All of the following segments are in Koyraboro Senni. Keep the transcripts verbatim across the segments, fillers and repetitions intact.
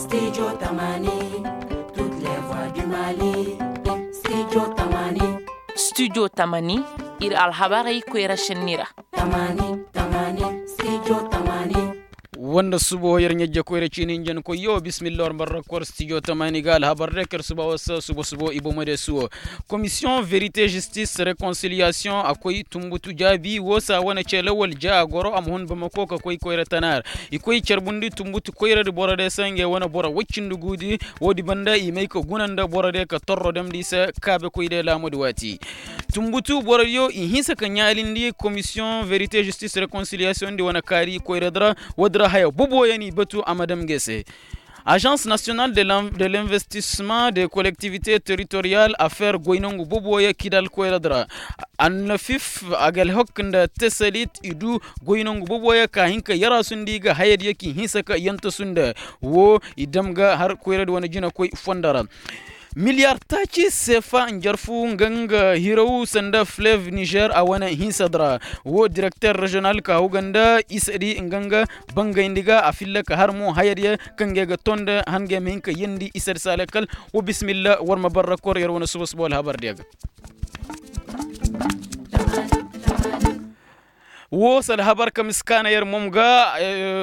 Studio tamani, ir alhabarey koyra šenni ra. Wanda subo yer ɲajje koyra ciini hinjankoyyo bismillah war marrakor studio tamani ga alhabar de kar suba wasa subo subo i bomode suwo. Komisiyoŋ verite žistis rekonsiliyasiyoŋ a koy tumbutu jaabi woo se a wane cee lawal ja a goro a ma hun bamako ka koy koyra tana ra. I koy carbundi tumbutu koyradi borode se ngey wane boro woy cindi guudi. Woodi banda i may ka guna nda borode ka torro damndi i se kaabekoy day laamudi waati. Tumbutu borodiyo i hinsa ka ɲaalindi komisiyoŋ verite žistis rekonsiliyasiyoŋ di wane kaari koyradi ra. Woodi ra haya boboyaŋ i batu a ma dam ngey se. Ažans nasiyonal de l'investisseman de kolektivite teritoriyal afeer goy nongu boboyaŋ kidal koyradi ra. Annafif agalhok nda tesalit i du goy nongu boboyaŋ ka hin ka yaraasu nda i ga hayadiyo k'i hinsa ka yantasu nda. Woo i dam ga har koyradi wane jinakoy fondo ra. Miliyar taaci seefa njarfu nga nga hiraw sanda flev nizer a wane hinsadi ra. Woo direkter reziyonal ka hawga nda isadi nga nga bangayndi ga a filla ka har mo hayadiyo kaŋ ga ay ga too nda hangay ma hin ka yeendi isadi saalay kal. Woo bisimilla war ma barra kor yer wane suba suba alhabardiyo ga. Woo se alhabar ka ma si kaana yer mom ga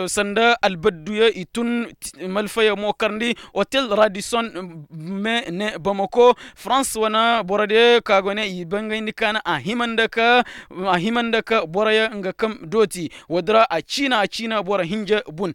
sanda albadduyo i tun malfayo mo karndi otel radison me ne bamako farans wane borodiyo ka go ne i bangayndi kaana a hima nda ka boroyo nga kam dooti. Woodi ra a ciina a ciina boro hinja bun.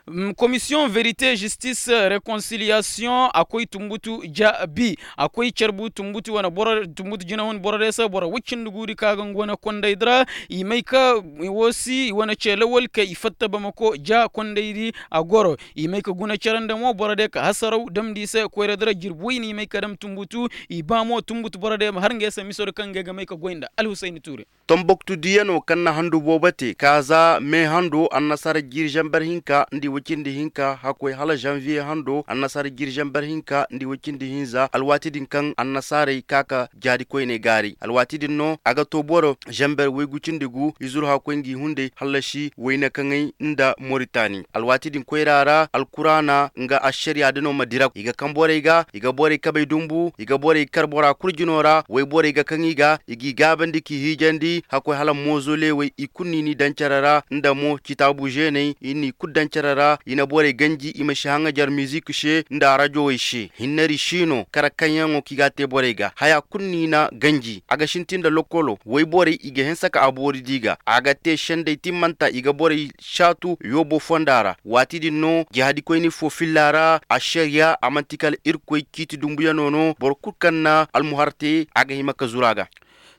Komisiyoŋ verite žistis rekonsiliyasiyoŋ a koy tumbutu ja bi a koy carbu tumbutu wane boro tumbutu jinahun borode se boro woy cindi guudi ka ga ngu wane kondaydi ra. I may ka woo si i wane cee lawal ka i fatta bamako ja kondaydi a goro i may ka guna cere nda mo borode ka hasaraw damndi i se koyradi ra jirbi woy no i may ka dam tumbutu. I ba mo tumbutu borode ma har ngey se misodi kaŋ ngey ga may ka goy nda alhusayni tuure. Tomboktudiyanoo kaŋ na handu boobo te ka za mee hando annasaara jiiri zamber hinka nda i woy cindi hinka hakkoy hala zanviye hando annasaara jiiri zamber hinka nda i woy cindi hinza alwaati din kaŋ annasaarey ka ka jaadi koyney gaaray alwaati din no a ga too boro zamber woygu cindi gu i zuru hakkoy ngi hunday hallasi woyne kaŋey nda moritani alwaati din koyra ra alkuraana nga ašariya dino ma dira i ga kaŋ borey ga i ga borey kabey dumbu i ga borey kar bora kul jino ra woyborey ga kaŋ i ga i g'i gaabandi k'i hiijandi hakkoy hala moozolewey i kul n'i ni daŋ cere ra nda mo citaabu zeeney i n'i kul daŋ cere ra i na borey ganji i ma si haŋajar mizik se nda rajowey se hinnari si no kar kaŋyaŋo kaŋ i g'a te borey ga haya kul n'i na ganji a ga sintin nda lokolo woyborey i ga hanse ka a boori di ga a ga te sendey timmanta i ga borey saatu yoobo fonda ra waati din no jihadikoyni fo filla ra ašariya a man'ti kala irkoy ciiti dumbuyano no boro kul kaŋ na almuhar te a ga hima ka zuru a ga.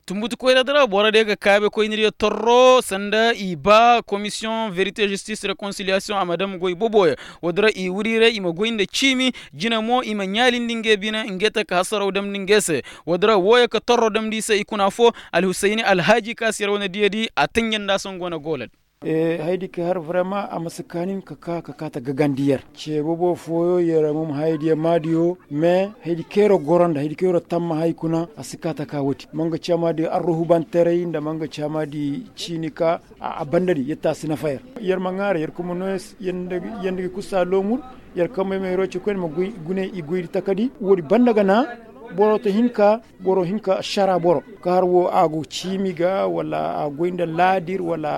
Tumbutu koyra di ra boro diyo ga kaabe koyni diyo torro sanda i ba komisiyoŋ verite žistis rekonsiliyaasiyoŋ a ma dam goy boboyaŋ. Woodi ra i wiriiray i ma goy nda ciimi jina mo i ma ɲaalindi ngey bine ngey taka hasaraw damndi ngey se. Woodi ra wooyo ka torro damndi i se i kuna foo alhusayni alhaaji ka si yer wane diyadi a tanjandi a se nga wane gooladi. Hayadi ka har vrema a ma si kaa nin ka kaa ka kaa ta gagandi yer ce bobo fooyo yer mom hayadiyo maadiyo. Mais hayadi kayroo goro nda hayadi kayroo tammahay kuna a si kaa ta kaa woodi ma nga caamaadi arruhubantaray nda ma nga caamaadi ciini ka a bandadi yer ta si nafa yer. Yer ma ŋaara yer kuma no yer nda ga kusa loomur yer kambe ma yeroo ce koyne ma gune i goydi takadi woodi banda ga na boro ta hinka boro hinka ašara boro ka har woo a go ciimi ga wala a goy nda laadir wala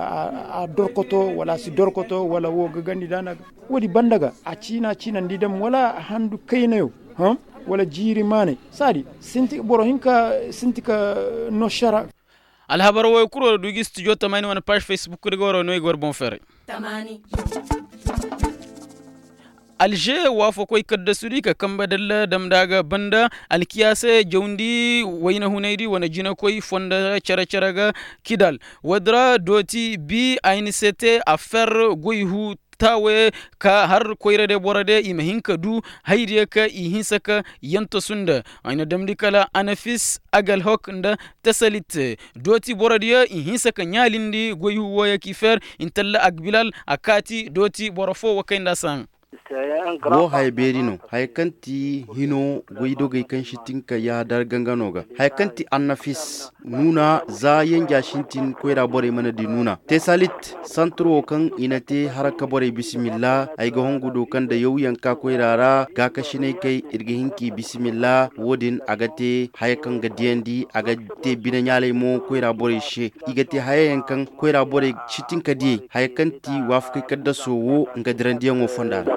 a dorkoto wala a si dorkoto wala woo gagandi daana ga. Woodi banda ga a ciina ciinandi dam wala handu kaynayo wala jiiri maanay saadi sinti boro hinka sinti ka no ašara. Alhabar wooyo kul war du gi studio tamani wane paaž facebook di ga war no i ga war boŋ ferey. Alže waafakoy kaddasudi ka kambe dalla damndi a ga banda alkiyaase jawndi wayna hunaydi wane jinakoy fonda cere-cere ga kidal. Woodi ra dooti bi ayni se te a fer goy huu taawe ka har koyra de boro de i ma hin ka du haydiyo ka i hinsa ka yantasu nda ay na damndi kala anafis agalhok nda tasalit. Dooti boro diyo i hinsa ka ɲaalindi goy huu wooyo k'i fer intalla agbilal a kaati dooti boro foo wa kay nda a se haŋ. Wo haya beeri no, haya kaŋ ti hino goydogey kaŋ si tin ka yaadar gangano ga, haya kaŋ ti annafis nuuna za yanja sintin koyra borey mana di nuuna tesalit, santuro kaŋ i na te haraka borey bisimilla ay ga hongu do kaŋ da yawyanka koyra ra gaakasiney kay ir ga hin k'i bisimilla wo- din a ga te haya kaŋ ga diyandi a ga te bine ɲaalay mo koyra borey se. I ga te hayayaŋ kaŋ koyra borey si tin ka diyey haya kaŋ ti waafakey kaddaso wo nga dirandiyaŋo fonda ra.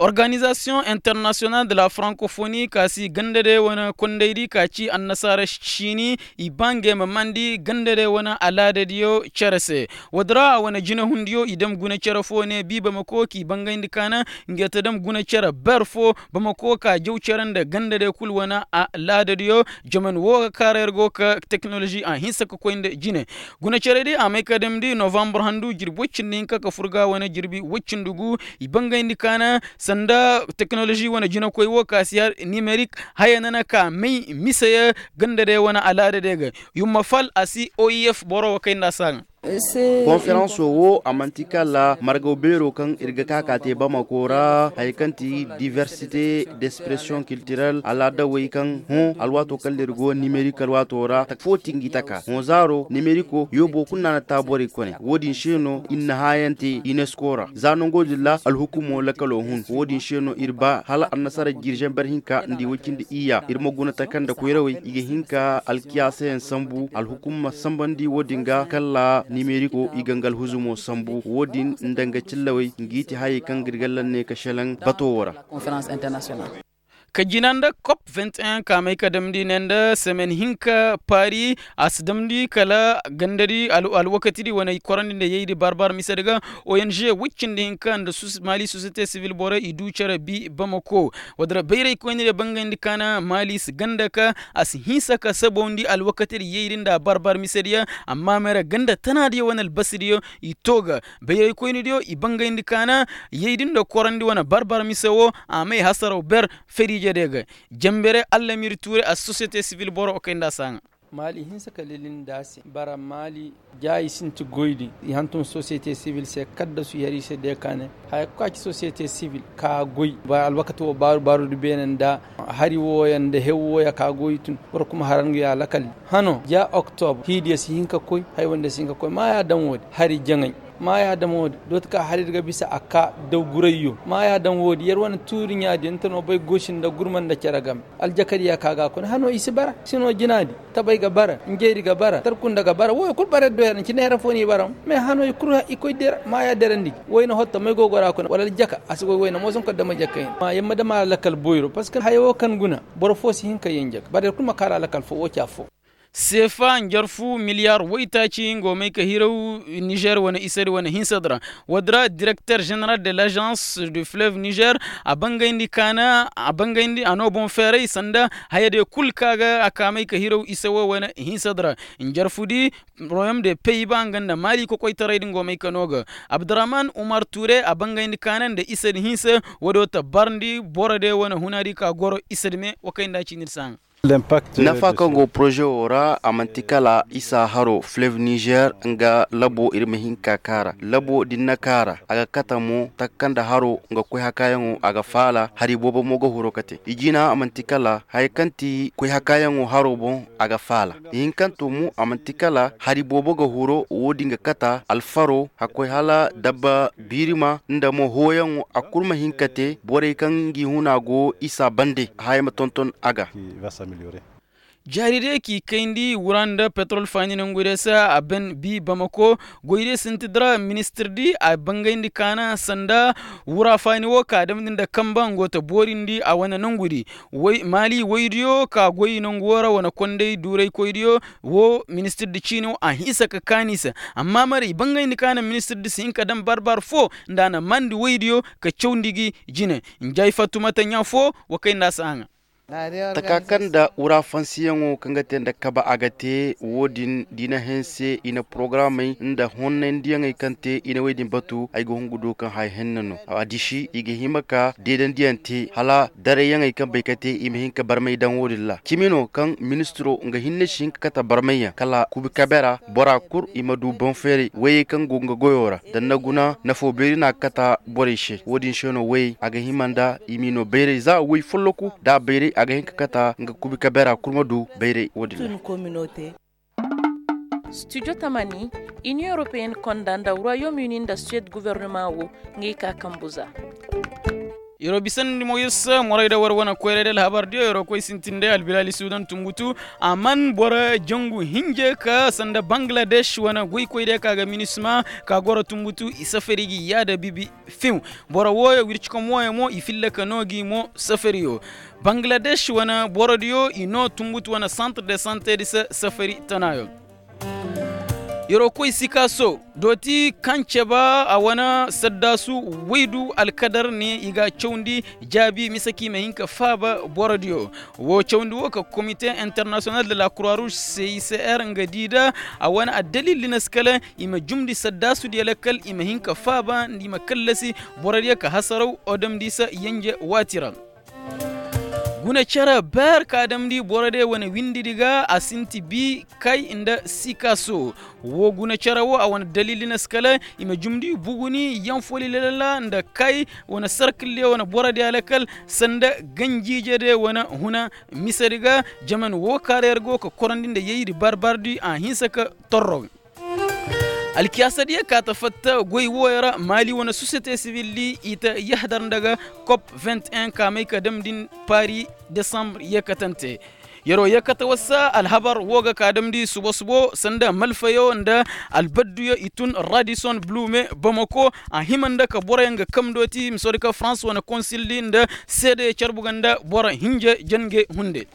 Organizasiyoŋ internasiyonal de la frankofoni ka si ganda day wane kondaydi ka ci annasaara siini i ba ngey ma mandi ganda day wane alaadadiyo cere se. Woodi ra a wane jinehundiyo i dam guna cere fo ne bi bamako k'i bangayndi kaana. Ngey ta dam guna cere ber fo bamako ka jaw cere nda ganda day kul wane alaadadiyo. Jaman wo ga kaara yer go ka teknolozi a hinsa ka koy nda jine. Guna cere di a may ka damndi novambar handu jirbi woy cindi hinka ka fur ga wane jirbi woy cindi gu. I bangayndi kaana sanda teknolozi wane jinakoy wo ka si har nimerik haya nana ka may mise ye ganda day wane alaada day ga. Yumma fal a si o i f boro wo kay nda a si a ga. Konferanso wo a manti kala margaw beero kaŋ ir ga ka ka te bamako ra haya kaŋ ti diversite d'expression kiltirel alaadawey kaŋ hõ alwaato kaŋ ir go nimerik alwaato ra fo ti ngi taka hõ zaaro nimeriko yoobo kulu no a na ta borey kone wo- din se no ir na hãayaŋ te unesco ra za nango din ra alhukumo lakalo hun wo- din se no ir ba hala annasaara jirzen ber hinka nda i woy cindi iyya ir ma guna taka nda koyrawey i ga hin ka alkiyaasayaŋ sambu alhukum ma sambandi wo- din ga kala nimeriko i ga nga alhuzumo sambu wo- din nda nga cillawey ngi ti hayey kaŋ ga ir ga lanne ka selaŋ bato wo ra. Ka jina nda kop vintin ka may ka damndi ne nda semen hinka paari a si damndi kala gandadi alwakatidi wane korandi nda yaydi barbar misedi ga ong woy cindi hinka nda maali sosiyete sivil borey i du cere bi bamako. Woodin ra bayraykoyni diyo bangayndi kaana maali si ganda ka a si hinsa ka sabawndi alwakatidi yaydi nda barbar misedi ya amma may ra ganda tanaadiyo wane albasidiyo i to ga bayraykoyni diyo i bangayndi kaana yaydi nda korandi wane barbar mise wo a may hasaraw ber feriije diyo ga. Jambere allamir tuure a sosiyete sivil boro kay nda a si a ŋa. Maali hinsa ka lilin nda a se bara maali ja i sinti goy din i hantum sosiyete sivil se kaddasu yar i se de ka ne haya kulu ka ci sosiyete sivil ka goy ba alwakati wo baaru baaru di beene nda hari wooya nda hew wooya ka goy tun boro kuma harangu ya lakal. Hano ja oktobre hiidiya si hin ka koy haya wanda si hin ka koy maaya daŋ wo- din hari jaŋay maaya daŋ wo- din dooti ka hari ir ga bisa a ka daw gurayyo maaya daŋ wo- din yar wane tuuri ɲaadiyo nta no bay goosi nda gurma nda cere game. Aljakadiya ka ga a kuna hano i si bara sino jinaadi tabay ga bara njayri ga bara tarkunda ga bara woyo kul bara yar do yar nci neera fo no i bara. Mais hano i kul i koy dira maaya derandi gi wayna hotto may go gora kuna wala aljaka a si goy wayna mooso nka dama jakka hin ma yamma dama a lakal boyro parceque haya wo kaŋ guna boro fo si hin ka yaŋ jaka bara yar kul ma kaara lakal fo wo ci affo. Seefa njarfu miliyar woytaaci ngo may ka hiraw nizer wane isadi wane hinsadi ra. Woodi ra direkter ženeral de lajans du fleuve nizer a bangayndi kaana a bangayndi a no boŋ feeray sanda hayadiyo kul ka ga a ka may ka hiraw isa wo wane hinsadi ra. Njarfudi royom de pey ba nga nda maali kokoytaray din go may ka no ga abdurahman umar ture a bangayndi kaana nda isadi hinsa. Woodiyo ta barndi borodiyo wane hunaadi ka goro isadi me wo kay nda a ci ni di si a ŋa. Nafa kaŋ go poroze wo ra a manti kala isa haro fleve nizer nga labo ir ma hin ka kaara labo da ni na kaara a ga kate mo taka kaŋ nda haro nga koy hakaayaŋo a ga faala hari boobo mo ga huro kate i jina a manti kala haya kaŋ ti koy hakaayaŋo haro boŋ a ga faala ihinkanto mo a manti kala hari boobo ga huro wo- din ga kate alfaro hakkoy hala dabba biirima nda mo hooyaŋo a kul ma hin ka te borey kaŋ ngi huna go isa bande haya ma tonton a ga. Jaari day k'i kayndi wura nda petrol faani nangu day se a ben bi bamako goy day sinti dira ministir di a bangayndi kaana sanda wura faani wo ka damndi nda kamba ngo ta boorindi a wane nangudi. Maali woydiyo ka goy nangu wo ra wane konday duuraykoydiyo wo ministir di ciini wo a hinsa ka kaani se. Amma mara i bangayndi kaana ministir di si hin ka daŋ barbar fo nda a na mandi woydiyo ka cawndi gi jine. Njay fattumata ɲa fo wa kay nda a si a ŋa. Taka kaŋ nda wura fansiyaŋo kaŋ ga te nda kaba a ga te wo- din da i na hanse i na porogaramey nda honnandiyaŋey kaŋ te i na wey din batu ay ga hungu du kaŋ haya henna no a disi i ga hima ka deedandiyaŋ te hala darayyaŋey kaŋ bay ka te i ma hin ka barmay daŋ wo- din ra cimi no kaŋ ministiro nga hinne si hin ka kate barmayyaŋ kala kubi kabe ra bora kul i ma du boŋ feeray wayey kaŋ go nga goyo ra da na guna nafo beeri no a ga kate borey se wo- din se no wayey a ga hima nda i m'i no bayray za way folloku da a bayray a ga hin ka kate nga kubi kabe ra kul ma du bayray wo- din ra. Studio tamani, inion europeyenne konda nda royaume uni nda suwed gobornoma wo, ngey ka kambu za. Yer'o bisandi moyis moray da war wane koyray da alhabar diyo yer'o koy sintin day albilali sudan tumbutu a man boro jangu hinje ka sanda bangladesh wane goykoy day ka ga minisma ka goro tumbutu i safari gi yaada bibi fiw. Boro wooyo wircikom wooyo mo i filla ka noo gi mo safariyo. Bangladesh wane borodiyo i noo tumbutu wane santre de sante di se safari tanaayo. Yer'o koy sikaso dooti kaŋ ceba a wane saddaasu waydu alkadar ne i ga cawndi jaabi mise kaŋ i ma hin ka faaba borodiyo. Woo cawndi woo ka komite internasiyonal de la kuraruus se i se er nga di da a wane addalil di na si kala i ma jumndi saddaasu diyo lakkal i ma hin ka faaba nda i ma kallasi borodiyo ka hasaraw odom di se yenje waati ra. Guna cere ber ka damndi boro de wane windi di ga a sinti bi kay nda sikaso. Wo guna cere wo a wane dalil di na si kala i ma jumndi buguni yaŋ foli lelala nda kay wane sarkil de wane boro de alakal sanda ganjiije de wane huna mise di ga. Jaman wo kaara yer go ka korandi nda yayri barbardi a hinsa ka torro. Alkiyaasa diya ka ta fatta goy wooyo ra maali wane sosiyete sibil di i ta yahdar nda ga kop vingt un ka may ka damndi paari desambre yeekatante. Yer'o yeekata wasa alhabar woo ga ka damndi subo subo sanda malfayo nda albadduyo i tun radison blume bamako a hima nda ka boroyaŋ ga kamdooti misoodi ka farans wane konsil di nda seedeyo carbu ga nda boro hinja jange hunde.